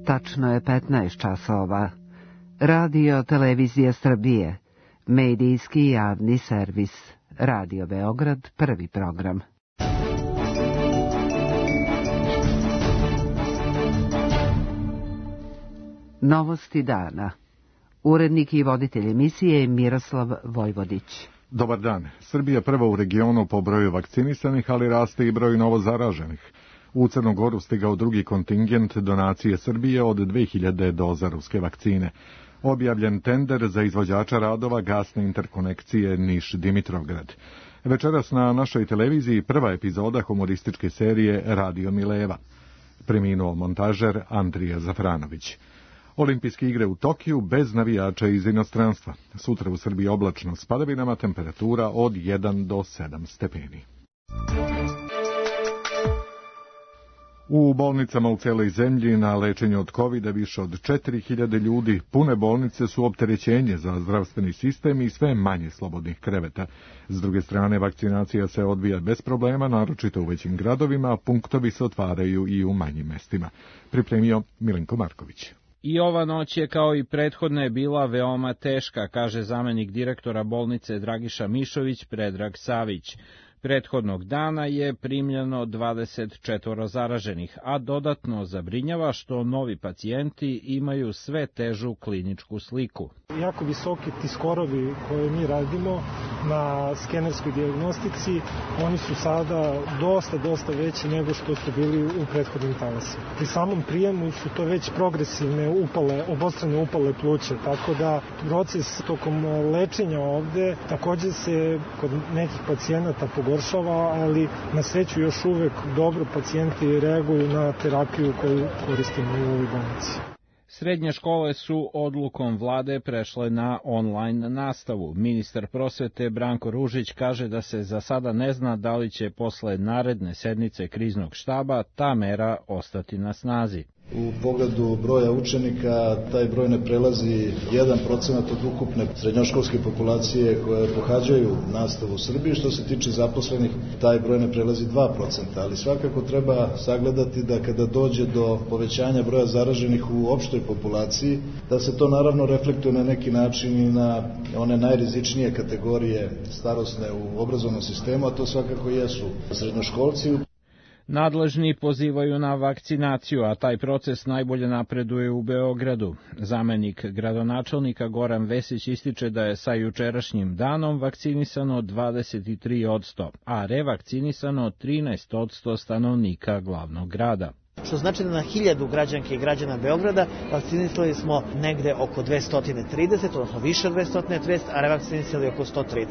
Tačno je 15 časova. Radio Televizija Srbije, medijski javni servis. Radio Beograd, prvi program. Novosti dana. Urednik i voditelj emisije Miroslav Vojvodić. Dobar dan. Srbija prva u regionu po broju vakcinisanih, ali raste i broj novozaraženih. U Crnu Goru stigao drugi kontingent donacije Srbije od 2000 doza ruske vakcine. Objavljen tender za izvođača radova gasne interkonekcije Niš-Dimitrovgrad. Večeras na našoj televiziji prva epizoda humorističke serije Radio Mileva. Preminuo montažer Andrija Zafranović. Olimpijske igre u Tokiju bez navijača iz inostranstva. Sutra u Srbiji oblačno s padavinama, temperatura od 1 do 7 stepeni. U bolnicama u celoj zemlji na lečenju od COVID-a više od 4000 ljudi. Pune bolnice su opterećenje za zdravstveni sistem i sve manje slobodnih kreveta. S druge strane, vakcinacija se odvija bez problema, naročito u većim gradovima, a punktovi se otvaraju i u manjim mestima. Pripremio Milenko Marković. I ova noć je kao i prethodna je bila veoma teška, kaže zamenik direktora bolnice Dragiša Mišović Predrag Savić. Prethodnog dana je primljeno 24 zaraženih, a dodatno zabrinjava što novi pacijenti imaju sve težu kliničku sliku. Jako visoki ti skorovi koje mi radimo na skenerskoj dijagnostici, oni su sada dosta veći nego što su bili u prethodnim talasima. Pri samom prijemu su to već progresivne upale, obostrane upale pluća, tako da proces tokom lečenja ovde takođe se kod nekih pacijenata pogoršava, ali na sreću još uvek dobro pacijenti reaguju na terapiju koju koristimo u ovoj bolnici. Srednje škole su odlukom vlade prešle na online nastavu. Ministar prosvete Branko Ružić kaže da se za sada ne zna da li će posle naredne sednice kriznog štaba ta mera ostati na snazi. U pogledu broja učenika, taj broj ne prelazi 1% od ukupne srednjoškolske populacije koje pohađaju nastavu u Srbiji. Što se tiče zaposlenih, taj broj ne prelazi 2%, ali svakako treba sagledati da kada dođe do povećanja broja zaraženih u opštoj populaciji, da se to naravno reflektuje na neki način i na one najrizičnije kategorije starosne u obrazovnom sistemu, a to svakako jesu srednjoškolci. Nadležni pozivaju na vakcinaciju, a taj proces najbolje napreduje u Beogradu. Zamenik gradonačelnika Goran Vesić ističe da je sa jučerašnjim danom vakcinisano 23%, a revakcinisano 13% stanovnika glavnog grada. Što znači da na 1000 građanke i građana Beograda vakcinisali smo negde oko 230, odnosno više od 230, a revakcinisali oko 130.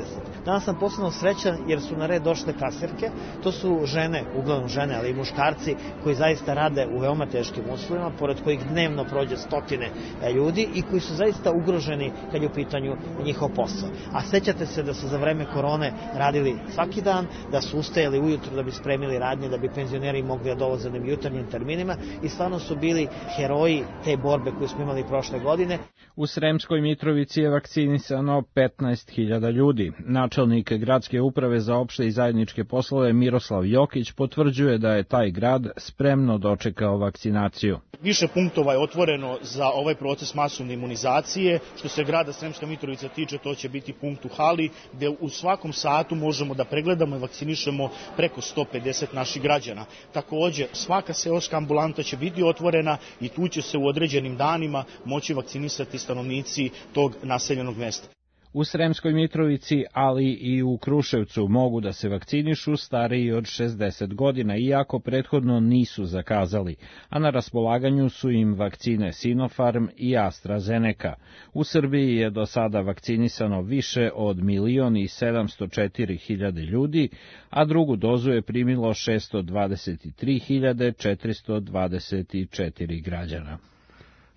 Danas sam posebno srećan jer su na red došle kasirke. To su žene, uglavnom žene, ali i muškarci koji zaista rade u veoma teškim uslovima, pored kojih dnevno prođe stotine ljudi i koji su zaista ugroženi kad je u pitanju njihov posao. A sećate se da su za vreme korone radili svaki dan, da su ustajali ujutro da bi spremili radnje, da bi penzioneri mogli da dolaze na jutarnjim terminima i stvarno su bili heroji te borbe koju smo imali prošle godine. U Sremskoj Mitrovici je vakcinisano 15.000 ljudi. Načelnik gradske uprave za opšte i zajedničke poslove Miroslav Jokić potvrđuje da je taj grad spremno dočekao vakcinaciju. Više punktova je otvoreno za ovaj proces masovne imunizacije. Što se grada Sremska Mitrovica tiče, to će biti punkt u hali, gde u svakom satu možemo da pregledamo i vakcinišemo preko 150 naših građana. Takođe, svaka seoska ambulanta će biti otvorena i tu će se u određenim danima moći vakcinisati stanovnici tog naseljenog mesta. U Sremskoj Mitrovici, ali i u Kruševcu mogu da se vakcinišu stariji od 60 godina, iako prethodno nisu zakazali, a na raspolaganju su im vakcine Sinopharm i AstraZeneca. U Srbiji je do sada vakcinisano više od 1.704.000 ljudi, a drugu dozu je primilo 623.424 građana.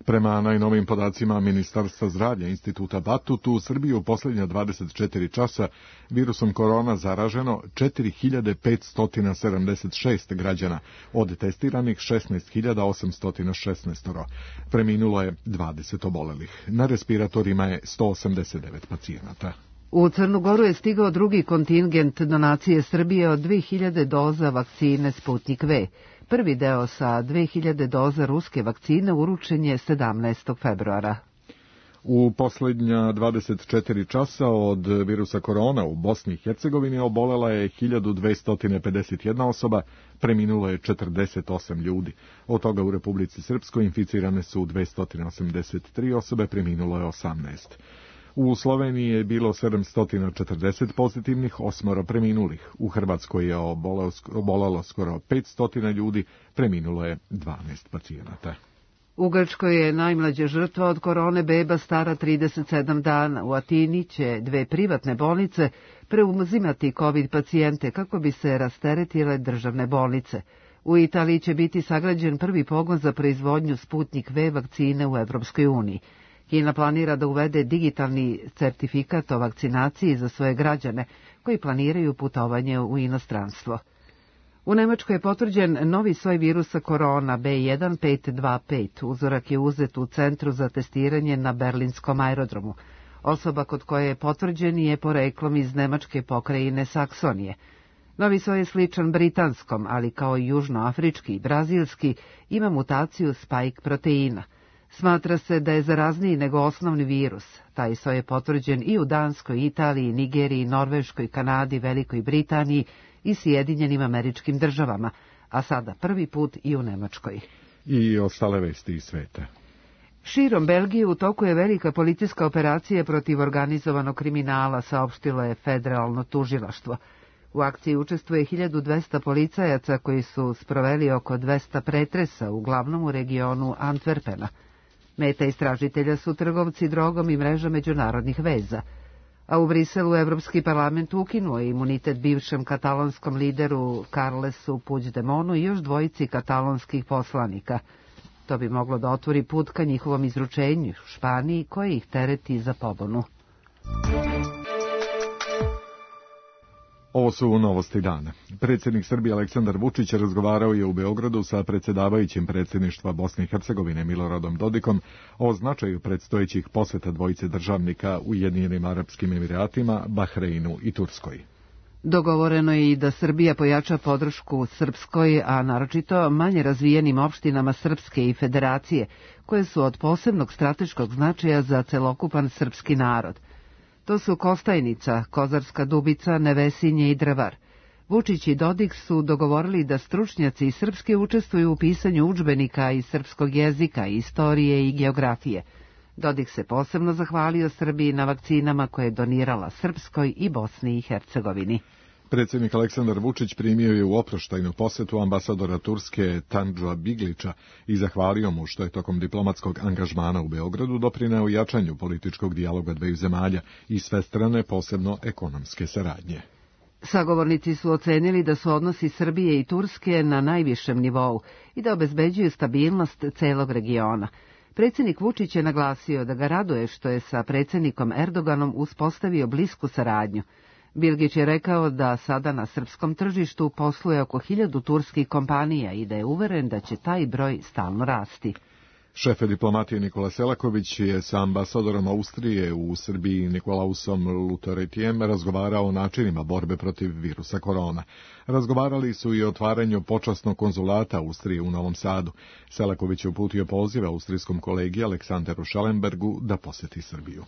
Prema najnovim podacima Ministarstva zdravlja Instituta Batut, u Srbiji u posljednja 24 časa virusom korona zaraženo 4.576 građana, od testiranih 16.816. Preminulo je 20 obolelih. Na respiratorima je 189 pacijenata. U Crnu Goru je stigao drugi kontingent donacije Srbije od 2000 doza vakcine Sputnik V. Prvi deo sa 2000 doza ruske vakcine uručen je 17. februara. U posljednja 24 časa od virusa korona u Bosni i Hercegovini obolela je 1251 osoba, preminulo je 48 ljudi. Od toga u Republici Srpskoj inficirane su 283 osobe, preminulo je 18. U Sloveniji je bilo 740 pozitivnih, 8 preminulih. U Hrvatskoj je obolelo skoro 500 ljudi, preminulo je 12 pacijenata. U Grčkoj je najmlađa žrtva od korone beba stara 37 dana. U Atini će 2 privatne bolnice preuzimati COVID pacijente kako bi se rasteretile državne bolnice. U Italiji će biti sagrađen prvi pogon za proizvodnju Sputnik V vakcine u Evropskoj uniji. Kina planira da uvede digitalni certifikat o vakcinaciji za svoje građane koji planiraju putovanje u inostranstvo. U Nemačkoj je potvrđen novi soj virusa korona B1525. Uzorak je uzet u centru za testiranje na berlinskom aerodromu. Osoba kod koje je potvrđen je poreklom iz nemačke pokrajine Saksonije. Novi soj je sličan britanskom, ali kao i južnoafrički i brazilski ima mutaciju spike proteina. Smatra se da je zarazniji nego osnovni virus. Taj soj je potvrđen i u Danskoj, Italiji, Nigeriji, Norveškoj, Kanadi, Velikoj Britaniji i Sjedinjenim Američkim Državama, a sada prvi put i u Nemačkoj. I ostale vesti iz sveta. Širom Belgije u toku je velika policijska operacija protiv organizovanog kriminala, saopštilo je federalno tužilaštvo. U akciji učestvuje 1200 policajaca koji su sproveli oko 200 pretresa, uglavnom u regionu Antwerpena. Meta istražitelja su trgovci drogom i mreža međunarodnih veza. A u Briselu Evropski parlament ukinuo je imunitet bivšem katalonskom lideru Carlesu Puigdemonu i još 2 katalonskih poslanika. To bi moglo da otvori put ka njihovom izručenju u Španiji, koji ih tereti za pobunu. Ovo su novosti dana. Predsjednik Srbije Aleksandar Vučić razgovarao je u Beogradu sa predsjedavajućim predsjedništva Bosne i Hercegovine Miloradom Dodikom o značaju predstojećih posjeta dvojice državnika Ujedinjenim Arapskim Emiratima, Bahreinu i Turskoj. Dogovoreno je i da Srbija pojača podršku Srpskoj, a naročito manje razvijenim opštinama Srpske i Federacije, koje su od posebnog strateškog značaja za celokupan srpski narod. To su Kostajnica, Kozarska Dubica, Nevesinje i Drvar. Vučić i Dodik su dogovorili da stručnjaci iz Srpske učestvuju u pisanju udžbenika iz srpskog jezika, istorije i geografije. Dodik se posebno zahvalio Srbiji na vakcinama koje je donirala Srpskoj i Bosni i Hercegovini. Predsjednik Aleksandar Vučić primio je u oproštajnu posjetu ambasadora Turske Tandža Biglića i zahvalio mu što je tokom diplomatskog angažmana u Beogradu doprineo jačanju političkog dijaloga dveju zemalja i svestrane, posebno ekonomske saradnje. Sagovornici su ocenili da su odnosi Srbije i Turske na najvišem nivou i da obezbeđuju stabilnost celog regiona. Predsjednik Vučić je naglasio da ga raduje što je sa predsjednikom Erdoganom uspostavio blisku saradnju. Bilgić je rekao da sada na srpskom tržištu posluje oko 1000 turskih kompanija i da je uveren da će taj broj stalno rasti. Šef diplomatije Nikola Selaković je sa ambasadorom Austrije u Srbiji Nikolausom Lutoretijem razgovarao o načinima borbe protiv virusa korona. Razgovarali su i o otvaranju počasnog konzulata Austrije u Novom Sadu. Selaković je uputio poziv austrijskom kolegi Aleksanderu Schellenbergu da posjeti Srbiju.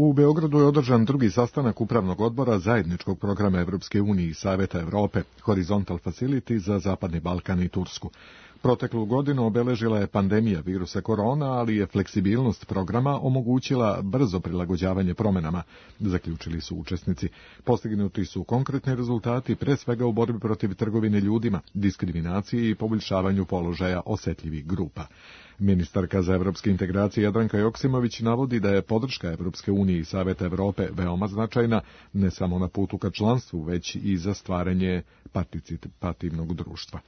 U Beogradu je održan drugi sastanak Upravnog odbora zajedničkog programa Evropske unije i Saveta Evrope, Horizontal Facility za Zapadni Balkan i Tursku. Proteklu godinu obeležila je pandemija virusa korona, ali je fleksibilnost programa omogućila brzo prilagođavanje promjenama, zaključili su učesnici. Postignuti su konkretni rezultati, pre svega u borbi protiv trgovine ljudima, diskriminacije i poboljšavanju položaja osjetljivih grupa. Ministarka za evropske integracije Jadranka Joksimović navodi da je podrška Evropske unije i Saveta Evrope veoma značajna, ne samo na putu ka članstvu, već i za stvaranje participativnog društva.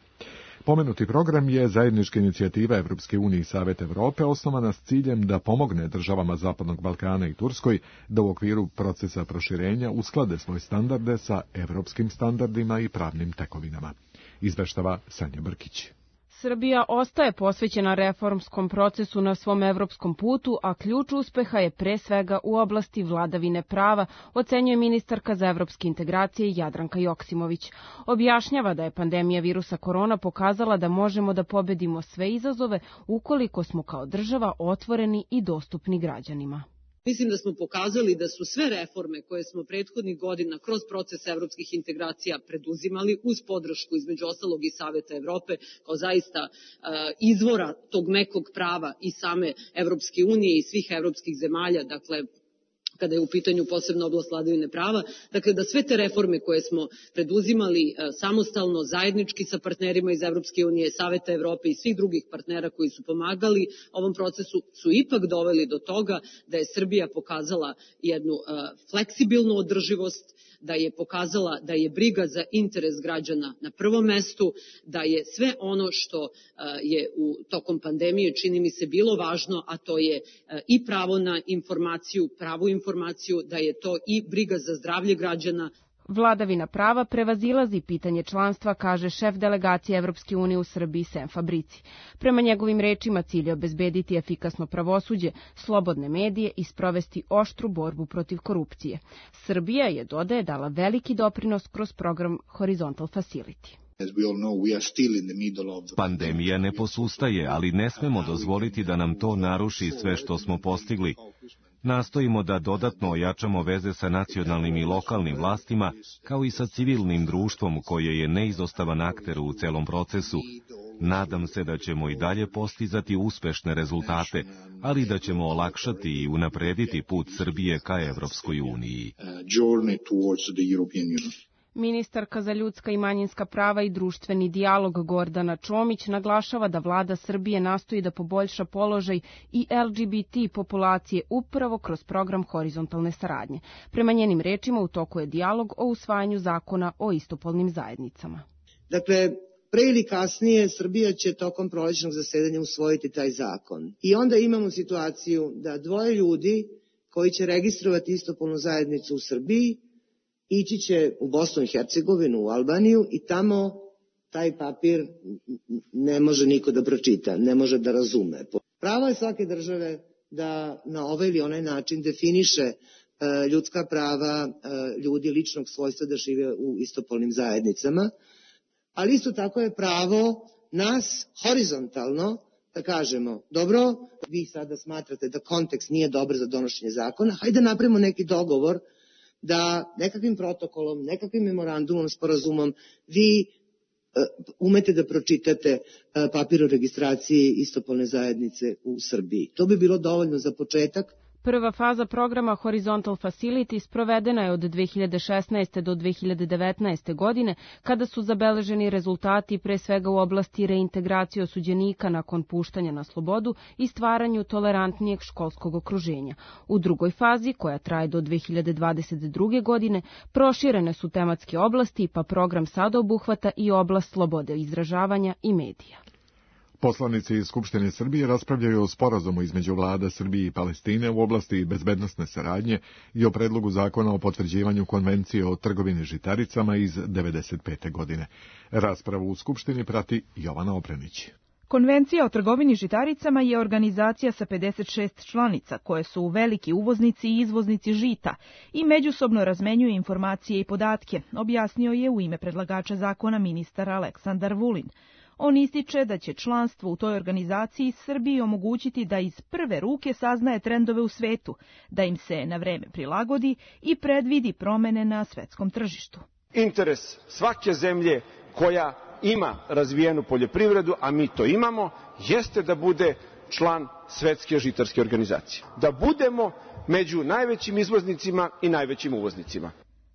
Pomenuti program je zajednička inicijativa Evropske unije i Saveta Evrope osnovana s ciljem da pomogne državama Zapadnog Balkana i Turskoj da u okviru procesa proširenja usklade svoje standarde sa evropskim standardima i pravnim tekovinama. Izveštava Sanja Brkić. Srbija ostaje posvećena reformskom procesu na svom evropskom putu, a ključ uspeha je pre svega u oblasti vladavine prava, ocenjuje ministarka za evropske integracije Jadranka Joksimović. Objašnjava da je pandemija virusa korona pokazala da možemo da pobedimo sve izazove ukoliko smo kao država otvoreni i dostupni građanima. Mislim da smo pokazali da su sve reforme koje smo prethodnih godina kroz proces evropskih integracija preduzimali uz podršku između ostalog i Saveta Evrope kao zaista izvora tog mekog prava i same Evropske unije i svih evropskih zemalja, dakle kada je u pitanju posebno oblast vladavine prava, dakle da sve te reforme koje smo preduzimali samostalno, zajednički sa partnerima iz Evropske unije, Saveta Evrope i svih drugih partnera koji su pomagali ovom procesu, su ipak doveli do toga da je Srbija pokazala jednu fleksibilnu održivost, da je pokazala da je briga za interes građana na prvom mestu, da je sve ono što je tokom pandemije čini mi se bilo važno, a to je i pravo na informaciju, pravu informaciju, da je to i briga za zdravlje građana. Vladavina prava prevazilazi pitanje članstva, kaže šef delegacije Evropske unije u Srbiji Sem Fabrici. Prema njegovim rečima cilj je obezbediti efikasno pravosuđe, slobodne medije i sprovesti oštru borbu protiv korupcije. Srbija je, dodaje, dala veliki doprinos kroz program Horizontal Facility. Pandemija ne posustaje, ali ne smemo dozvoliti da nam to naruši sve što smo postigli. Nastojimo da dodatno ojačamo veze sa nacionalnim i lokalnim vlastima, kao i sa civilnim društvom koje je neizostavan akter u celom procesu. Nadam se da ćemo i dalje postizati uspešne rezultate, ali da ćemo olakšati i unaprediti put Srbije ka Evropskoj uniji. Ministarka za ljudska i manjinska prava i društveni dijalog Gordana Čomić naglašava da vlada Srbije nastoji da poboljša položaj i LGBT populacije upravo kroz program horizontalne saradnje. Prema njenim rečima u toku je dijalog o usvajanju zakona o istopolnim zajednicama. Dakle, pre ili kasnije Srbija će tokom prolećnog zasedanja usvojiti taj zakon. I onda imamo situaciju da dvoje ljudi koji će registrovati istopolnu zajednicu u Srbiji ići će u Bosnu i Hercegovinu, u Albaniju i tamo taj papir ne može niko da pročita, ne može da razume. Pravo je svake države da na ovaj ili onaj način definiše ljudska prava ljudi ličnog svojstva da žive u istopolnim zajednicama, ali isto tako je pravo nas horizontalno da kažemo, dobro, vi sada smatrate da kontekst nije dobar za donošenje zakona, hajde napravimo neki dogovor da nekakvim protokolom, nekakvim memorandumom, sporazumom, vi umete da pročitate papir o registraciji istopolne zajednice u Srbiji. To bi bilo dovoljno za početak. Prva faza programa Horizontal Facility sprovedena je od 2016. do 2019. godine, kada su zabeleženi rezultati pre svega u oblasti reintegracije osuđenika nakon puštanja na slobodu i stvaranju tolerantnijeg školskog okruženja. U drugoj fazi, koja traje do 2022. godine, proširene su tematske oblasti, pa program sada obuhvata i oblast slobode izražavanja i medija. Poslanici iz Skupštine Srbije raspravljaju o sporazumu između vlada Srbije i Palestine u oblasti bezbednosne saradnje i o predlogu zakona o potvrđivanju konvencije o trgovini žitaricama iz 1995. godine. Raspravu u Skupštini prati Jovana Obrenić. Konvencija o trgovini žitaricama je organizacija sa 56 članica koje su veliki uvoznici i izvoznici žita i međusobno razmenjuju informacije i podatke, objasnio je u ime predlagača zakona ministar Aleksandar Vulin. On ističe da će članstvo u toj organizaciji Srbiji omogućiti da iz prve ruke saznaje trendove u svetu, da im se na vreme prilagodi i predvidi promene na svetskom tržištu. Interes svake zemlje koja ima razvijenu poljoprivredu, a mi to imamo, jeste da bude član Svetske žitarske organizacije. Da budemo među najvećim izvoznicima i najvećim uvoznicima.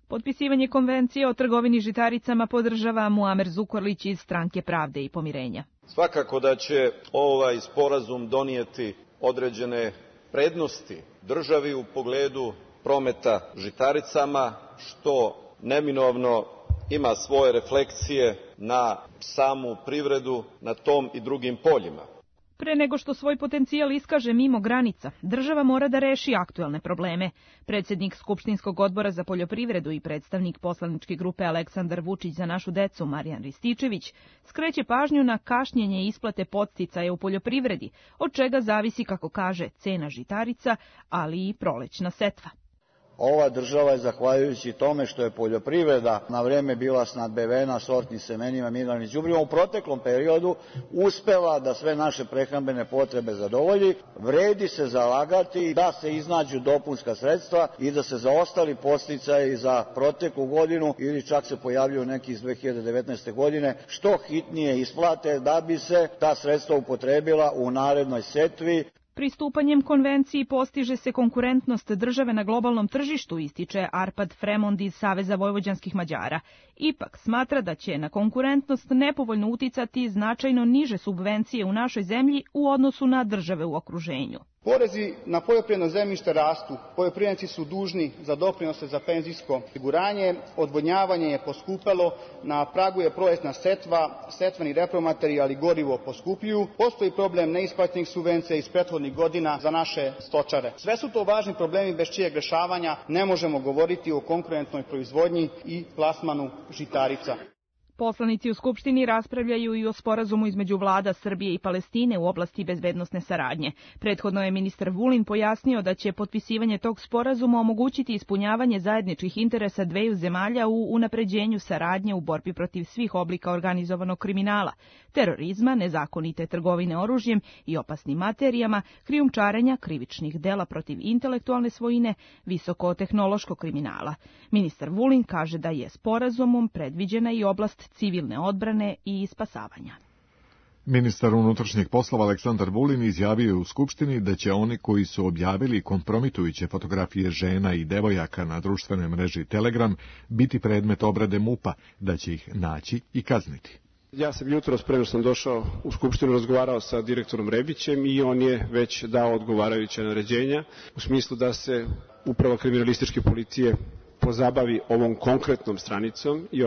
Potpisivanje konvencije o trgovini žitaricama podržava Muamer Zukorlić iz Stranke pravde i pomirenja. Svakako da će ovaj sporazum donijeti određene prednosti državi u pogledu prometa žitaricama, što neminovno ima svoje refleksije na samu privredu na tom i drugim poljima. Pre nego što svoj potencijal iskaže mimo granica, država mora da reši aktuelne probleme. Predsjednik Skupštinskog odbora za poljoprivredu i predstavnik poslaničke grupe Aleksandar Vučić za našu decu Marijan Rističević skreće pažnju na kašnjenje isplate podsticaja u poljoprivredi, od čega zavisi, kako kaže, cena žitarica, ali i prolećna setva. Ova država je, zahvaljujući tome što je poljoprivreda na vreme bila snabdevena sortnim semenima, mineralnim đubrivom, u proteklom periodu uspela da sve naše prehrambene potrebe zadovolji. Vredi se zalagati da se iznađu dopunska sredstva i da se zaostali podsticaji za proteklu godinu ili čak se pojavljuju neki iz 2019. godine što hitnije isplate da bi se ta sredstva upotrebila u narednoj setvi. Pristupanjem konvenciji postiže se konkurentnost države na globalnom tržištu, ističe Arpad Fremond iz Saveza vojvođanskih Mađara. Ipak smatra da će na konkurentnost nepovoljno uticati značajno niže subvencije u našoj zemlji u odnosu na države u okruženju. Porezi na poljoprivredno zemljište rastu, poljoprivrednici su dužni za doprinose za penzijsko osiguranje, odvodnjavanje je poskupelo, na pragu je prolećna setva, setveni repromaterijal i gorivo poskupljuju, postoji problem neisplaćenih subvencija iz prethodnih godina za naše stočare. Sve su to važni problemi bez čijeg rešavanja ne možemo govoriti o konkurentnoj proizvodnji i plasmanu žitarica. Poslanici u Skupštini raspravljaju i o sporazumu između vlada Srbije i Palestine u oblasti bezbednosne saradnje. Prethodno je ministar Vulin pojasnio da će potpisivanje tog sporazuma omogućiti ispunjavanje zajedničkih interesa dveju zemalja u unapređenju saradnje u borbi protiv svih oblika organizovanog kriminala, terorizma, nezakonite trgovine oružjem i opasnim materijama, krijumčarenja, krivičnih dela protiv intelektualne svojine, visokotehnološkog kriminala. Ministar Vulin kaže da je sporazumom predviđena i oblast civilne odbrane i spasavanja. Ministar unutrašnjih poslova Aleksandar Vulin izjavio je u Skupštini da će oni koji su objavili kompromitujuće fotografije žena i devojaka na društvenoj mreži Telegram biti predmet obrade MUP-a, da će ih naći i kazniti. Ja sam jutros, pre nego sam došao u Skupštinu, razgovarao sa direktorom Rebićem i on je već dao odgovarajuća naređenja u smislu da se Uprava kriminalističke policije pozabavi ovom konkretnom stranicom i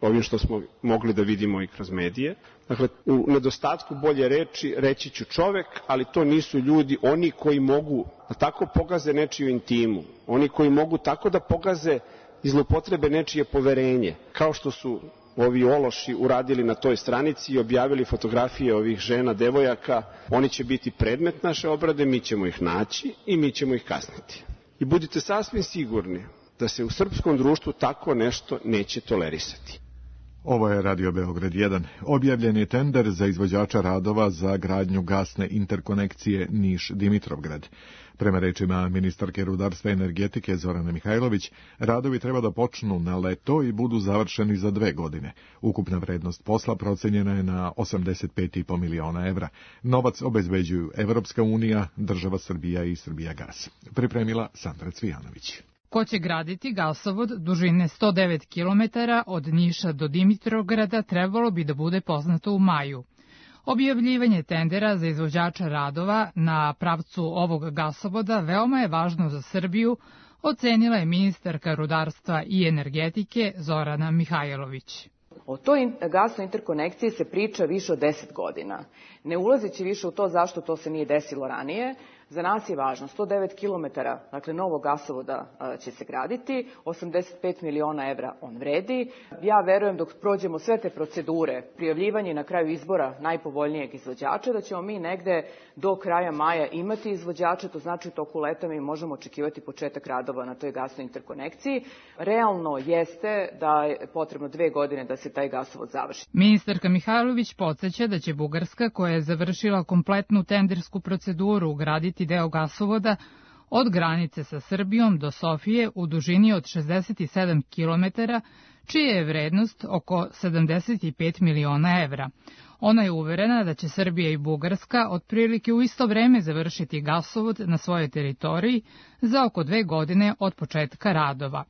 ovim što smo mogli da vidimo i kroz medije. Dakle, u nedostatku bolje reči reći ću čovek, ali to nisu ljudi, oni koji mogu da tako pogaze nečiju intimu, oni koji mogu tako da pogaze i zloupotrebe nečije poverenje, kao što su ovi ološi uradili na toj stranici i objavili fotografije ovih žena, devojaka. Oni će biti predmet naše obrade, mi ćemo ih naći i mi ćemo ih kazniti. I budite sasvim sigurni da se u srpskom društvu tako nešto neće tolerisati. Ovo je Radio Beograd 1. Objavljen je tender za izvođača radova za gradnju gasne interkonekcije Niš-Dimitrovgrad. Prema rečima ministarke rudarstva i energetike Zorane Mihajlović, radovi treba da počnu na leto i budu završeni za 2 godine. Ukupna vrednost posla procenjena je na 85,5 miliona evra. Novac obezbeđuju Evropska unija, država Srbija i Srbijagas. Pripremila Sandra Cvijanović. Ko će graditi gasovod dužine 109 km od Niša do Dimitrovgrada trebalo bi da bude poznato u maju. Objavljivanje tendera za izvođača radova na pravcu ovog gasovoda veoma je važno za Srbiju, ocenila je ministarka rudarstva i energetike Zorana Mihajlović. O toj gasnoj interkonekciji se priča više od 10 godina. Ne ulazeći više u to zašto to se nije desilo ranije, za nas je važno 109 km, dakle novog gasovoda će se graditi, 85 miliona evra on vredi. Ja verujem dok prođemo sve te procedure, prijavljivanje na kraju izbora najpovoljnijeg izvođača, da ćemo mi negde do kraja maja imati izvođača, to znači u toku leta mi možemo očekivati početak radova na toj gasnoj interkonekciji. Realno jeste da je potrebno 2 godine da se taj gasovod završi. Ministarka Mihajlović podsjeća da će Bugarska, koja je završila kompletnu tendersku proceduru, ugraditi deo gasovoda od granice sa Srbijom do Sofije u dužini od 67 km, čija je vrednost oko 75 miliona evra. Ona je uverena da će Srbija i Bugarska otprilike u isto vreme završiti gasovod na svojoj teritoriji za oko 2 godine od početka radova.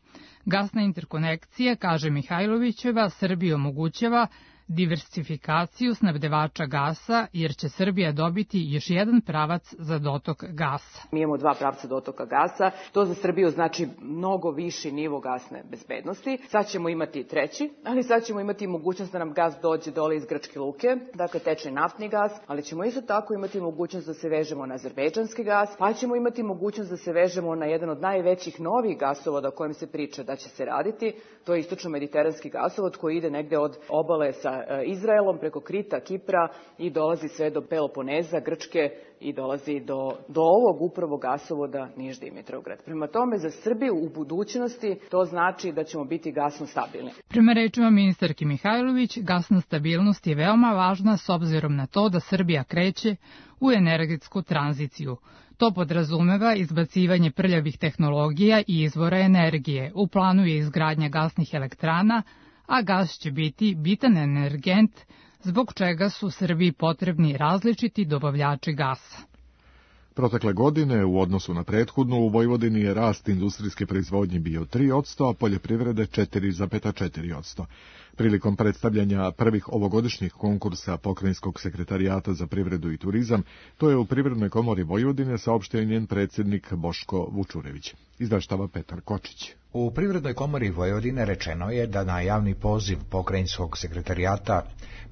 Gasna interkonekcija, kaže Mihajlovićeva, Srbiji omogućava diversifikaciju snabdevača gasa, jer će Srbija dobiti još jedan pravac za dotok gasa. Mi imamo 2 pravca dotoka gasa, to za Srbiju znači mnogo viši nivo gasne bezbednosti. Sad ćemo imati 3, ali sad ćemo imati mogućnost da nam gas dođe dole iz Grčke luke, dakle tečni naftni gas, ali ćemo isto tako imati mogućnost da se vežemo na azerbejdžanski gas, pa ćemo imati mogućnost da se vežemo na jedan od najvećih novih gasovoda o kojem se priča da će se raditi, to je istočno-mediteranski gasovod koji ide negde od obale sa Izraelom preko Krita, Kipra i dolazi sve do Peloponeza, Grčke i dolazi do ovog upravo gasovoda Niš-Dimitrovgrad. Prema tome, za Srbiju u budućnosti to znači da ćemo biti gasno stabilni. Prema rečima ministarke Mihajlović, gasna stabilnost je veoma važna s obzirom na to da Srbija kreće u energetsku tranziciju. To podrazumeva izbacivanje prljavih tehnologija i izvora energije. U planu je izgradnja gasnih elektrana, a gas će biti bitan energent, zbog čega su Srbiji potrebni različiti dobavljači gasa. Protekle godine, u odnosu na prethodnu, u Vojvodini je rast industrijske proizvodnje bio 3%, a poljoprivrede 4,4%. Prilikom predstavljanja prvih ovogodišnjih konkursa Pokrajinskog sekretarijata za privredu i turizam, to je u Privrednoj komori Vojvodine saopštio njen predsjednik Boško Vučurević. Izveštava Petar Kočić. U Privrednoj komori Vojvodine rečeno je da na javni poziv Pokrajinskog sekretarijata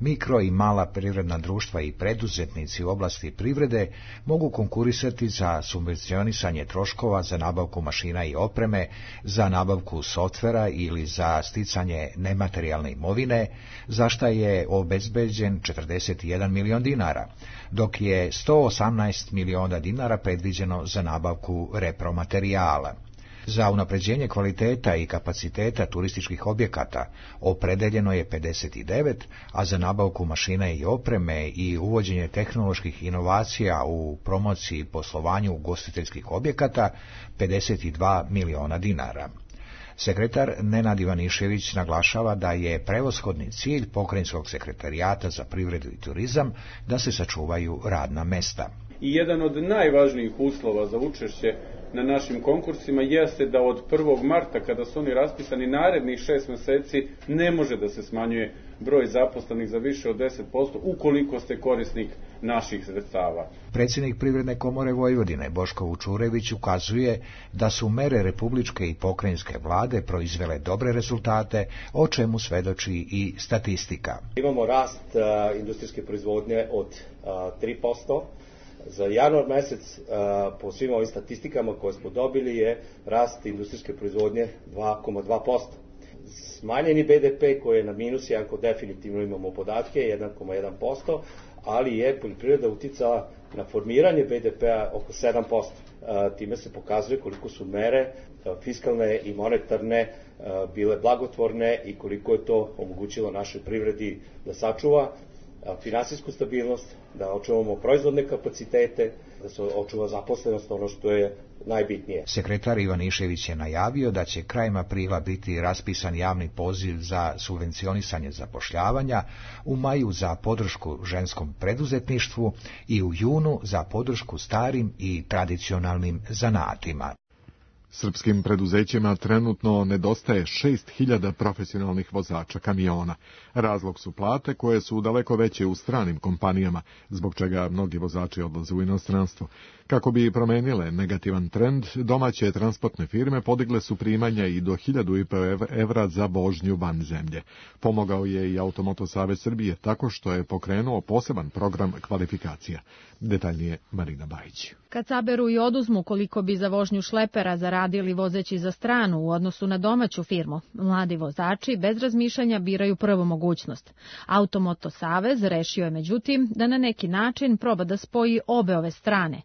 mikro i mala privredna društva i preduzetnici u oblasti privrede mogu konkurisati za subvencionisanje troškova za nabavku mašina i opreme, za nabavku softvera ili za sticanje nematerijalne imovine, za šta je obezbeđen 41 milion dinara, dok je 118 miliona dinara predviđeno za nabavku repromaterijala. Za unapređenje kvaliteta i kapaciteta turističkih objekata opredeljeno je 59, a za nabavku mašina i opreme i uvođenje tehnoloških inovacija u promociji i poslovanju ugostiteljskih objekata 52 miliona dinara. Sekretar Nenad Ivanišević naglašava da je prevashodni cilj Pokrajinskog sekretarijata za privredu i turizam da se sačuvaju radna mesta. I jedan od najvažnijih uslova za učešće na našim konkursima jeste da od 1. marta, kada su oni raspisani, narednih 6 meseci ne može da se smanjuje broj zaposlenih za više od 10% ukoliko ste korisnik naših sredstava. Predsjednik Privredne komore Vojvodine Boško Vučurević ukazuje da su mere republičke i pokrajinske vlade proizvele dobre rezultate, o čemu svedoči i statistika. Imamo rast industrijske proizvodnje od 3%. Za januar mesec, po svim ovim statistikama koje smo dobili, je rast industrijske proizvodnje 2,2%. Smanjeni BDP koji je na minus, iako definitivno imamo podatke, 1,1%, ali je poljoprivreda uticala na formiranje BDP-a oko 7%. Time se pokazuje koliko su mere fiskalne i monetarne bile blagotvorne i koliko je to omogućilo našoj privredi da sačuva finansijsku stabilnost, da očuvamo proizvodne kapacitete, da se očuva zaposlenost, ono što je najbitnije. Sekretar Ivanišević je najavio da će krajem aprila biti raspisan javni poziv za subvencionisanje zapošljavanja, u maju za podršku ženskom preduzetništvu i u junu za podršku starim i tradicionalnim zanatima. Srpskim preduzećima trenutno nedostaje 6.000 profesionalnih vozača kamiona. Razlog su plate koje su daleko veće u stranim kompanijama, zbog čega mnogi vozači odlaze u inostranstvo. Kako bi promenile negativan trend, domaće transportne firme podigle su primanja i do 1.500 evra za vožnju van zemlje. Pomogao je i Automoto Savez Srbije tako što je pokrenuo poseban program kvalifikacija. Detaljnije Marina Bajić. Kad saberu i oduzmu koliko bi za vožnju šlepera zaradili vozeći za stranu u odnosu na domaću firmu, mladi vozači bez razmišljanja biraju prvu mogućnost. Automoto Savez rešio je međutim da na neki način proba da spoji obe ove strane.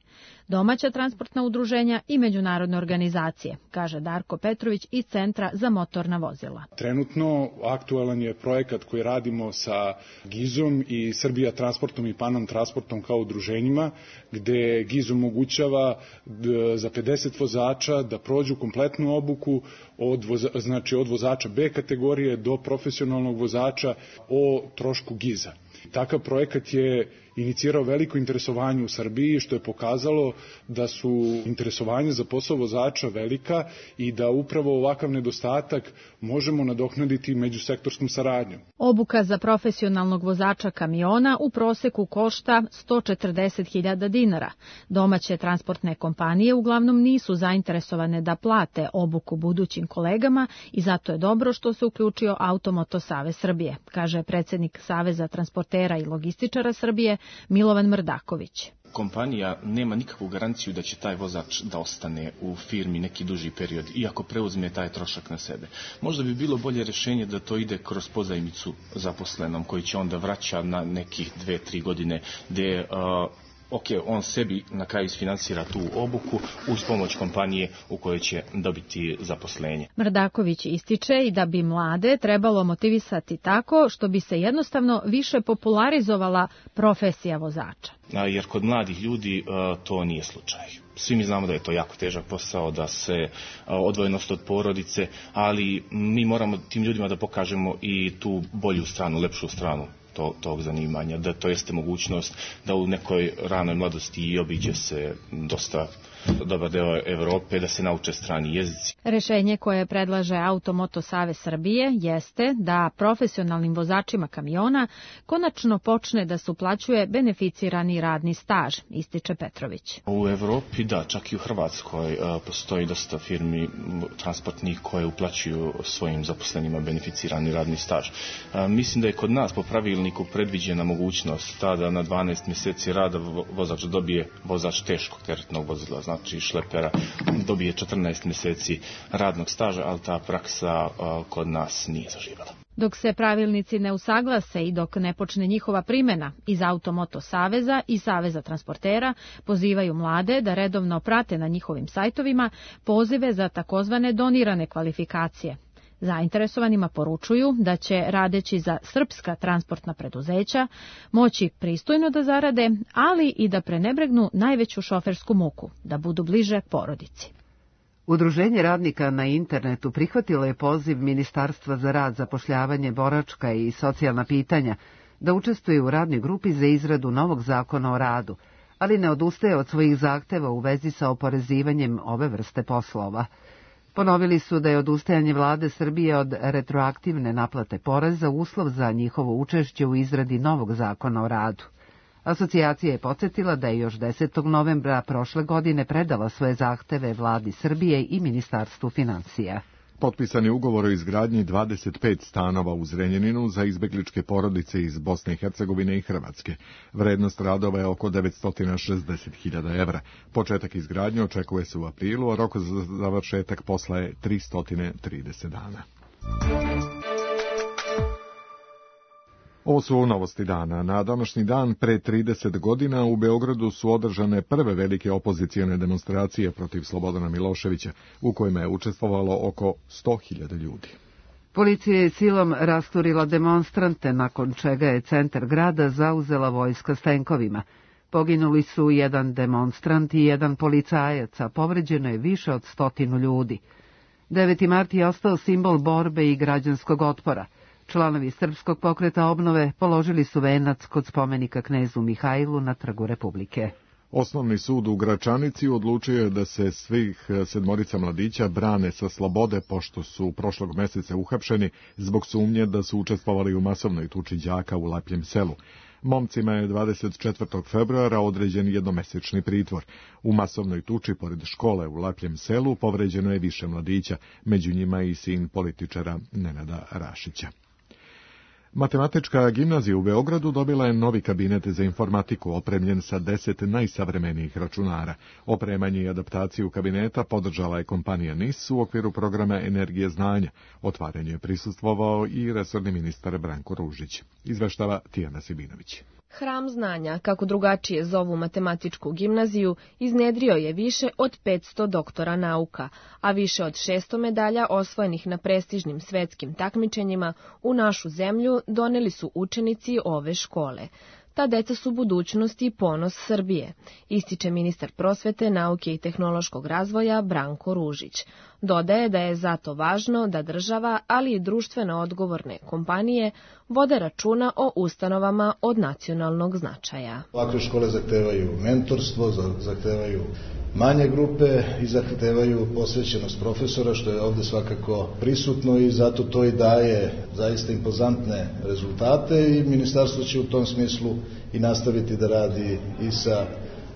Domaća transportna udruženja i međunarodne organizacije, kaže Darko Petrović iz Centra za motorna vozila. Trenutno aktualan je projekat koji radimo sa GIZ-om i Srbija transportom i Panam transportom kao udruženjima, gde GIZ omogućava za 50 vozača da prođu kompletnu obuku od vozača B kategorije do profesionalnog vozača o trošku GIZ-a. Takav projekat je inicirao veliko interesovanje u Srbiji, što je pokazalo da su interesovanje za posao vozača velika i da upravo ovakav nedostatak možemo nadoknaditi međusektorskom saradnjom. Obuka za profesionalnog vozača kamiona u proseku košta 140.000 dinara. Domaće transportne kompanije uglavnom nisu zainteresovane da plate obuku budućim kolegama i zato je dobro što se uključio Automoto Savez Srbije, kaže predsjednik Saveza transportera i logističara Srbije Milovan Mrdaković. Kompanija nema nikakvu garanciju da će taj vozač da ostane u firmi neki duži period, iako preuzme taj trošak na sebe. Možda bi bilo bolje rješenje da to ide kroz pozajmicu zaposlenom, koji će onda vraća na nekih 2-3 godine, gdje on sebi na kraju isfinansira tu obuku uz pomoć kompanije u kojoj će dobiti zaposlenje. Mrdaković ističe i da bi mlade trebalo motivisati tako što bi se jednostavno više popularizovala profesija vozača. Jer kod mladih ljudi to nije slučaj. Svi mi znamo da je to jako težak posao, da se odvojenost od porodice, ali mi moramo tim ljudima da pokažemo i tu bolju stranu, lepšu stranu tog zanimanja, da to jeste mogućnost da u nekoj ranoj mladosti i obiđe se dosta dobar deo Evrope, da se nauče strani jezici. Rešenje koje predlaže Automoto Savez Srbije jeste da profesionalnim vozačima kamiona konačno počne da se uplaćuje beneficirani radni staž, ističe Petrović. U Evropi, da, čak i u Hrvatskoj postoji dosta firmi transportnih koje uplaćuju svojim zaposlenima beneficirani radni staž. Mislim da je kod nas po pravilniku predviđena mogućnost da na 12 mjeseci rada vozač dobije, vozač teškog teretnog vozila, znači šlepera, dobije 14 mjeseci radnog staža, ali ta praksa kod nas nije zaživjela. Dok se pravilnici ne usaglase i dok ne počne njihova primjena, iz Automoto Saveza i Saveza transportera pozivaju mlade da redovno prate na njihovim sajtovima pozive za takozvane donirane kvalifikacije. Zainteresovanima poručuju da će, radeći za srpska transportna preduzeća, moći pristojno da zarade, ali i da prenebregnu najveću šofersku muku, da budu bliže porodici. Udruženje radnika na internetu prihvatilo je poziv Ministarstva za rad, zapošljavanje, boračka i socijalna pitanja da učestvuje u radnoj grupi za izradu novog zakona o radu, ali ne odustaje od svojih zahteva u vezi sa oporezivanjem ove vrste poslova. Ponovili su da je odustajanje vlade Srbije od retroaktivne naplate poreza uslov za njihovo učešće u izradi novog zakona o radu. Asocijacija je podsjetila da je još 10. novembra prošle godine predala svoje zahteve vladi Srbije i Ministarstvu finansija. Potpisan je ugovor o izgradnji 25 stanova u Zrenjaninu za izbegličke porodice iz Bosne i Hercegovine i Hrvatske. Vrednost radova je oko 960.000 evra. Početak izgradnje očekuje se u aprilu, a rok za završetak posla je 330 dana. Ovo su novosti dana. Na današnji dan pre 30 godina u Beogradu su održane prve velike opozicijone demonstracije protiv Slobodana Miloševića, u kojima je učestvovalo oko 100.000 ljudi. Policija je silom rasturila demonstrante, nakon čega je centar grada zauzela vojska s tenkovima. Poginuli su jedan demonstrant i jedan policajac, a povređeno je više od 100 ljudi. 9. mart je ostao simbol borbe i građanskog otpora. Članovi Srpskog pokreta obnove položili su venac kod spomenika knezu Mihajlu na Trgu Republike. Osnovni sud u Gračanici odlučio je da se svih 7 mladića brane sa slobode, pošto su prošlog mjeseca uhapšeni zbog sumnje da su učestvovali u masovnoj tuči đaka u Lapljem selu. Momcima je 24. februara određen jednomesečni pritvor. U masovnoj tuči pored škole u Lapljem selu povređeno je više mladića, među njima i sin političara Nenada Rašića. Matematička gimnazija u Beogradu dobila je novi kabinet za informatiku opremljen sa 10 najsavremenijih računara. Opremanje i adaptaciju kabineta podržala je kompanija NIS u okviru programa Energije znanja. Otvaranju je prisustvovao i resorni ministar Branko Ružić. Izveštava Tijana Sibinović. Hram znanja, kako drugačije zovu matematičku gimnaziju, iznedrio je više od 500 doktora nauka, a više od 600 medalja osvojenih na prestižnim svetskim takmičenjima u našu zemlju doneli su učenici ove škole. Ta deca su budućnost i ponos Srbije, ističe ministar prosvete, nauke i tehnološkog razvoja Branko Ružić. Dodaje da je zato važno da država, ali i društveno odgovorne kompanije vode računa o ustanovama od nacionalnog značaja. Ovakve škole zahtevaju mentorstvo, zahtevaju manje grupe i zahtevaju posvećenost profesora, što je ovde svakako prisutno i zato to i daje zaista impozantne rezultate i ministarstvo će u tom smislu i nastaviti da radi i sa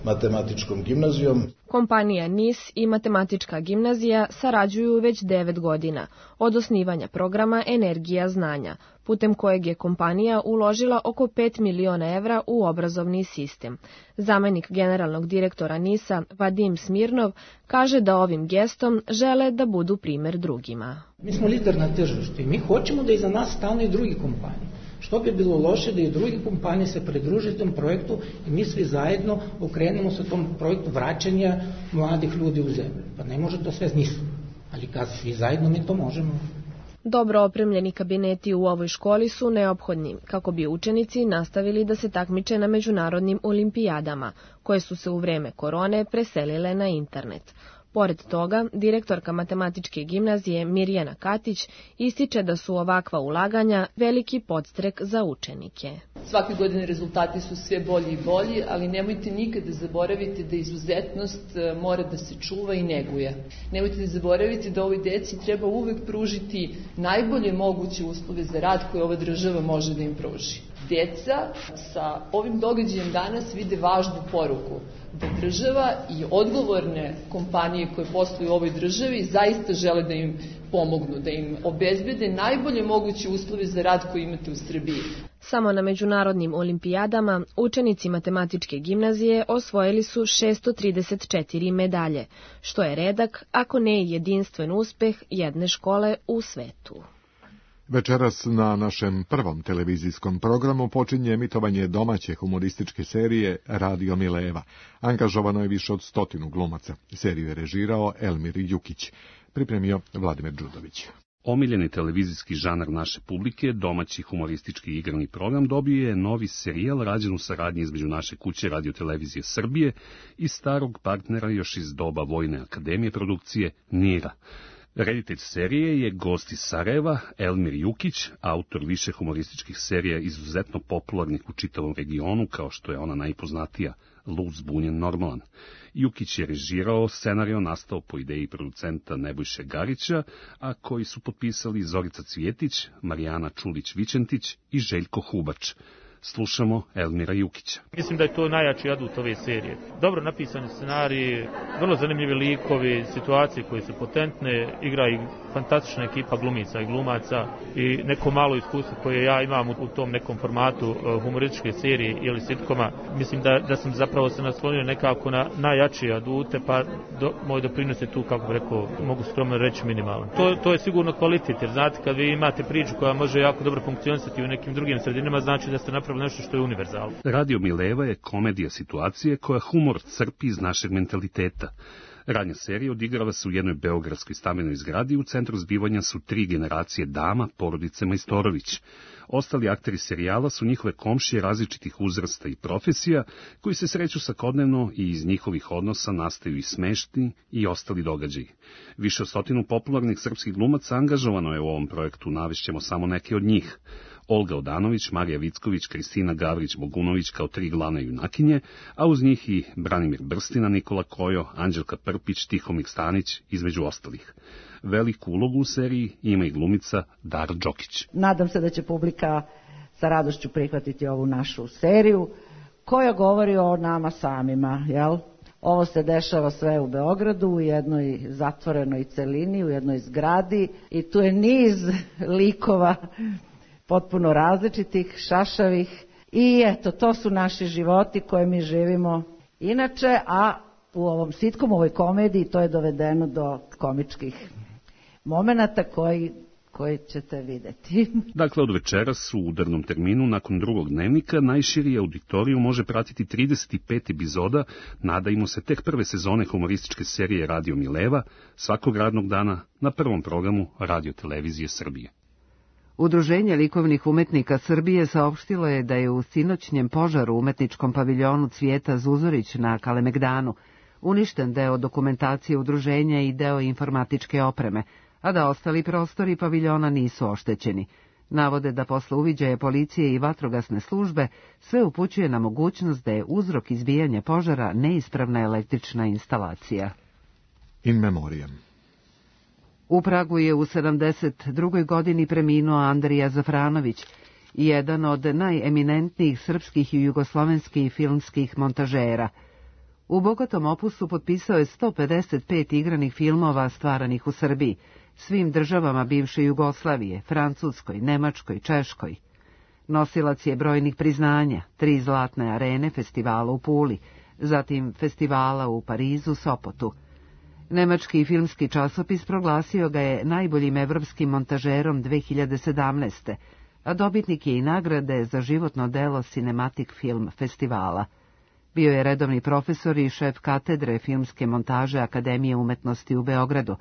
matematičkom gimnazijom. Kompanija NIS i Matematička gimnazija sarađuju već 9 godina od osnivanja programa Energija znanja, putem kojeg je kompanija uložila oko 5 miliona evra u obrazovni sistem. Zamenik generalnog direktora NIS-a, Vadim Smirnov, kaže da ovim gestom žele da budu primer drugima. Mi smo lider na tržištu i mi hoćemo da iza nas stane i drugi kompanije. Što bi bilo loše da i drugi kompanije se pridruže tom projektu i mi svi zajedno okrenemo se tom projektu vraćanja mladih ljudi u zemlju. Pa ne može to sve nisu, ali kad svi zajedno mi to možemo. Dobro opremljeni kabineti u ovoj školi su neophodni kako bi učenici nastavili da se takmiče na međunarodnim olimpijadama, koje su se u vreme korone preselile na internet. Pored toga, direktorka Matematičke gimnazije Mirjana Katić ističe da su ovakva ulaganja veliki podstrek za učenike. Svake godine rezultati su sve bolji i bolji, ali nemojte nikada zaboraviti da izuzetnost mora da se čuva i neguje. Nemojte da zaboraviti da ovoj deci treba uvek pružiti najbolje moguće uslove za rad koje ova država može da im pruži. Deca sa ovim događajem danas vide važnu poruku da država i odgovorne kompanije koje posluju u ovoj državi zaista žele da im pomognu, da im obezbede najbolje moguće uslove za rad koje imate u Srbiji. Samo na međunarodnim olimpijadama učenici Matematičke gimnazije osvojili su 634 medalje, što je redak, ako ne i jedinstven uspeh jedne škole u svetu. Večeras na našem prvom televizijskom programu počinje emitovanje domaće humorističke serije Radio Mileva. Angažovano je više od 100 glumaca. Seriju je režirao Elmir Jukić. Pripremio Vladimir Đudović. Omiljeni televizijski žanar naše publike, domaći humoristički igrani program, dobio je novi serijal rađen u saradnji između naše kuće Radio-televizije Srbije i starog partnera još iz doba Vojne akademije produkcije NIRA. Reditelj serije je gost iz Sarajeva, Elmir Jukić, autor više humorističkih serija izuzetno popularnih u čitavom regionu, kao što je ona najpoznatija, Lud, zbunjen, normalan. Jukić je režirao, scenario nastao po ideji producenta Nebojše Garića, a koji su potpisali Zorica Cvjetić, Marijana Čulić-Vičentić i Željko Hubač. Slušamo Elmira Jukića. Mislim da je to najjači adut ove serije. Dobro napisani scenariji, vrlo zanimljivi likovi, situacije koje su potentne, igra i fantastična ekipa glumica i glumaca i neko malo iskustvo koje ja imam u tom nekom formatu humorističke serije ili sitkoma. Mislim da sam zapravo se naslonio nekako na najjačije adute, pa moj doprinos je tu, kako bih rekao, mogu skromno reći, minimalan. To je sigurno kvalitet, jer znate, kad vi imate priču koja može jako dobro funkcionisati u nekim drugim sredinama, znači da ste napravili nešto što je univerzalno. Radio Mileva je komedija situacije koja humor crpi iz našeg mentaliteta. Radnja serija odigrava se u jednoj beogradskoj stambenoj zgradi, u centru zbivanja su 3 generacije dama, porodice Majstorović. Ostali akteri serijala su njihove komšije različitih uzrasta i profesija, koji se sreću svakodnevno i iz njihovih odnosa nastaju i smešni i ostali događaji. Više od 100 popularnih srpskih glumaca angažovano je u ovom projektu, navešćemo samo neke od njih. Olga Odanović, Marija Vicković, Kristina Gavrić-Bogunović kao 3 glavne junakinje, a uz njih i Branimir Brstina, Nikola Kojo, Anđelka Prpić, Tihomir Stanić, između ostalih. Veliku ulogu u seriji ima i glumica Dara Đokić. Nadam se da će publika sa radošću prihvatiti ovu našu seriju, koja govori o nama samima, jel? Ovo se dešava sve u Beogradu, u jednoj zatvorenoj celini, u jednoj zgradi i tu je niz likova potpuno različitih, šašavih i eto, to su naši životi koje mi živimo inače, a u ovom sitkomu, u ovoj komediji, to je dovedeno do komičkih momenata koji ćete videti. Dakle, od večeras u udarnom terminu, nakon drugog dnevnika, najširi auditoriju može pratiti 35 epizoda, nadajmo se tek prve sezone humorističke serije Radio Mileva, svakog radnog dana na prvom programu Radio-televizije Srbije. Udruženje likovnih umetnika Srbije saopštilo je da je u sinoćnjem požaru u umetničkom paviljonu Cvijeta Zuzorić na Kalemegdanu uništen deo dokumentacije udruženja i deo informatičke opreme, a da ostali prostori paviljona nisu oštećeni. Navode da posle uviđaja policije i vatrogasne službe sve upućuje na mogućnost da je uzrok izbijanja požara neispravna električna instalacija. In memoriam. U Pragu je u 72. godini preminuo Andrija Zafranović, jedan od najeminentnijih srpskih i jugoslovenskih filmskih montažera. U bogatom opusu potpisao je 155 igranih filmova stvaranih u Srbiji, svim državama bivše Jugoslavije, Francuskoj, Nemačkoj, Češkoj. Nosilac je brojnih priznanja, 3 zlatne arene festivala u Puli, zatim festivala u Parizu, Sopotu. Nemački filmski časopis proglasio ga je najboljim evropskim montažerom 2017. a dobitnik je i nagrade za životno delo Cinematic Film festivala. Bio je redovni profesor i šef katedre filmske montaže Akademije umetnosti u Beogradu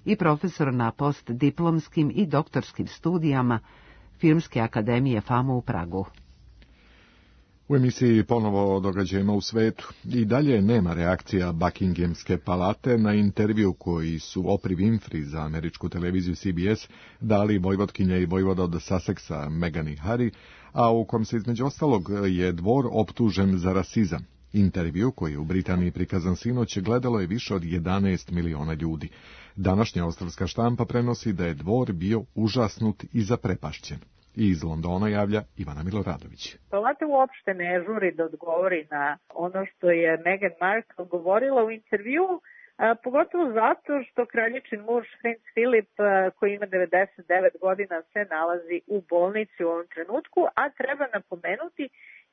i profesor na postdiplomskim i doktorskim studijama Filmske akademije FAMU u Pragu. U emisiji ponovo o događajima u svetu. I dalje nema reakcija Buckinghamske palate na intervju koji su Oprah Winfrey za američku televiziju CBS dali vojvotkinja i vojvoda od Sussexa Meghan i Harry, a u kom se između ostalog je dvor optužen za rasizam. Intervju koji je u Britaniji prikazan sinoć gledalo je više od 11 miliona ljudi. Današnja australska štampa prenosi da je dvor bio užasnut i zaprepašćen. I iz Londona javlja Ivana Miloradović. Palata uopšte ne žuri da odgovori na ono što je Meghan Markle govorila u intervju, pogotovo zato što kraljičin muž Prince Philip, koji ima 99 godina, se nalazi u bolnici u ovom trenutku, a treba napomenuti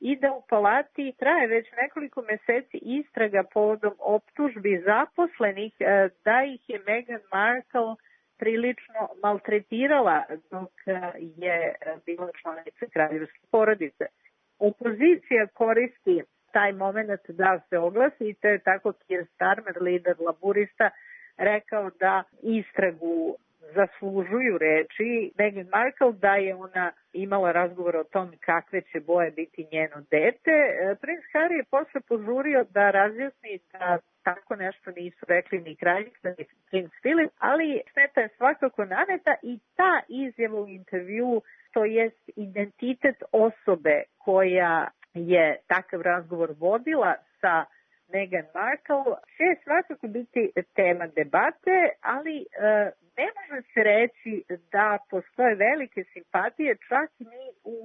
i da u palati traje već nekoliko meseci istraga povodom optužbi zaposlenih da ih je Meghan Markle prilično maltretirala dok je bila članica kraljevske porodice. Opozicija koristi taj moment da se oglasi i to je tako Keir Starmer, lider laburista, rekao da istragu zaslužuju reči Meghan Markle, da je ona imala razgovor o tom kakve će boje biti njeno dete. Princ Harry je posle požurio da razjasni da tako nešto nisu rekli ni kraljica ni Prince Philip, ali šteta je svakako naneta i ta izjava u intervju, to jest identitet osobe koja je takav razgovor vodila sa Meghan Markle, će svakako biti tema debate, ali ne može se reći da postoje velike simpatije čak ni u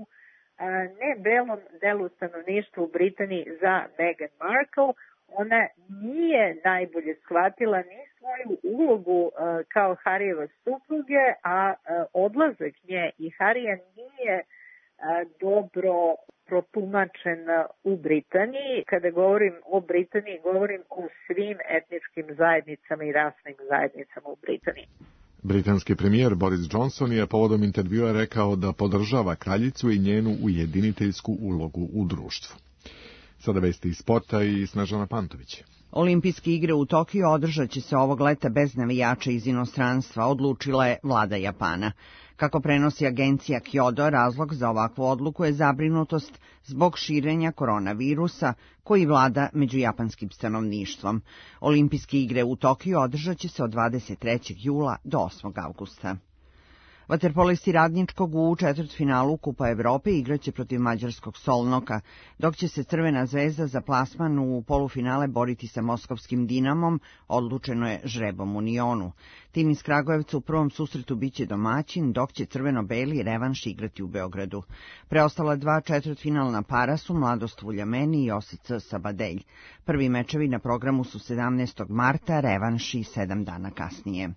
nebelom delu stanovništva u Britaniji za Meghan Markle. Ona nije najbolje shvatila ni svoju ulogu kao Harryjeva supruge, a odlazak nje i Harryja nije dobro protumačen u Britaniji. Kada govorim o Britaniji, govorim o svim etničkim zajednicama i rasnim zajednicama u Britaniji. Britanski premijer Boris Johnson je povodom intervjua rekao da podržava kraljicu i njenu ujediniteljsku ulogu u društvu. Sada vesti iz sporta i Snežana Pantović. Olimpijske igre u Tokiju održat će se ovog leta bez navijača iz inostranstva, odlučila je vlada Japana. Kako prenosi agencija Kyodo, razlog za ovakvu odluku je zabrinutost zbog širenja koronavirusa koji vlada među japanskim stanovništvom. Olimpijske igre u Tokiju održat će se od 23. jula do 8. avgusta. Vaterpolisti Radničkog u četvrtfinalu Kupa Evrope igraće protiv mađarskog Solnoka, dok će se Crvena zvezda za plasman u polufinale boriti sa moskovskim Dinamom, odlučeno je žrebom u Unionu. Tim iz Kragujevca u prvom susretu biće domaćin, dok će crveno-beli revanš igrati u Beogradu. Preostala 2 četvrtfinalna para su Mladost Vuljameni i OSC Sabadelj. Prvi mečevi na programu su 17. marta, revanši 7 dana kasnije.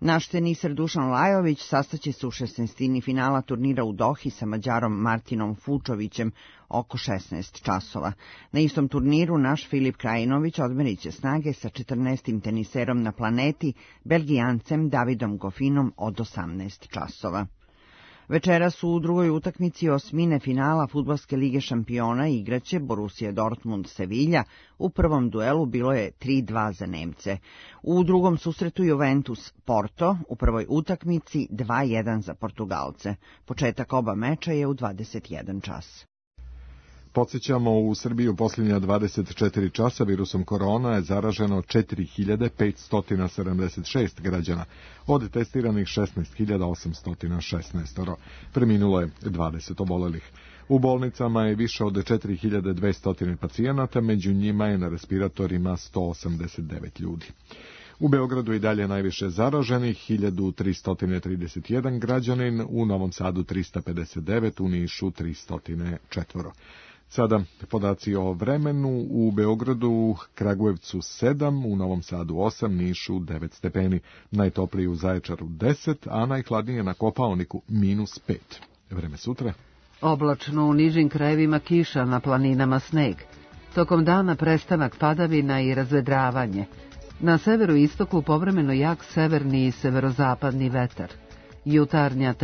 Naš teniser Dušan Lajović sastaće se u 16. finala turnira u Dohi sa Mađarom Martinom Fučovićem oko 16 časova. Na istom turniru naš Filip Krajinović odmerit će snage sa 14. teniserom na planeti, Belgijancem Davidom Gofinom od 18 časova. Večeras u drugoj utakmici osmine finala Fudbalske lige šampiona igraće Borussia Dortmund Sevilla. U prvom duelu bilo je 3-2 za Nemce. U drugom susretu Juventus Porto, u prvoj utakmici 2-1 za Portugalce. Početak oba meča je u 21 čas. Podsjećamo, u Srbiji u posljednja 24 časa virusom korona je zaraženo 4576 građana, od testiranih 16816. Preminulo je 20 obolelih. U bolnicama je više od 4200 pacijenata, među njima je na respiratorima 189 ljudi. U Beogradu i dalje najviše zaraženih, 1331 građanin, u Novom Sadu 359, u Nišu 304. Sada podaci o vremenu: u Beogradu, Kragujevcu 7, u Novom Sadu 8, Nišu 9 stepeni, najtopliji u Zaječaru 10, a najhladnije na Kopaoniku -5. Vreme sutra. Oblačno, u nižim krajevima kiša, na planinama sneg. Tokom dana prestanak padavina i razvedravanje. Na severu i istoku povremeno jak severni i severozapadni vetar. Jutarnja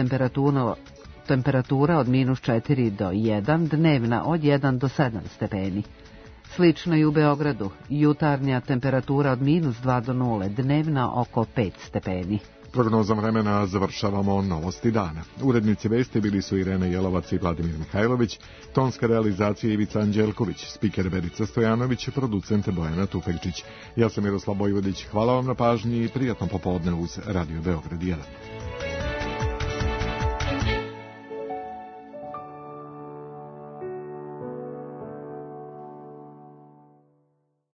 temperatura od -4 do 1, dnevna od 1 do 7 stepeni. Slično i u Beogradu, jutarnja temperatura od -2 do 0, dnevna oko 5 stepeni. Prognozom vremena završavamo novosti dana. Urednici vesti bili su Irena Jelovac i Vladimir Mihajlović, tonska realizacija Ivica Anđelković, spiker Verica Stojanović, producent Bojana Tufekčić. Ja sam Miroslav Bojvodić, hvala vam na pažnji i prijatno popodne uz Radio Beograd 1.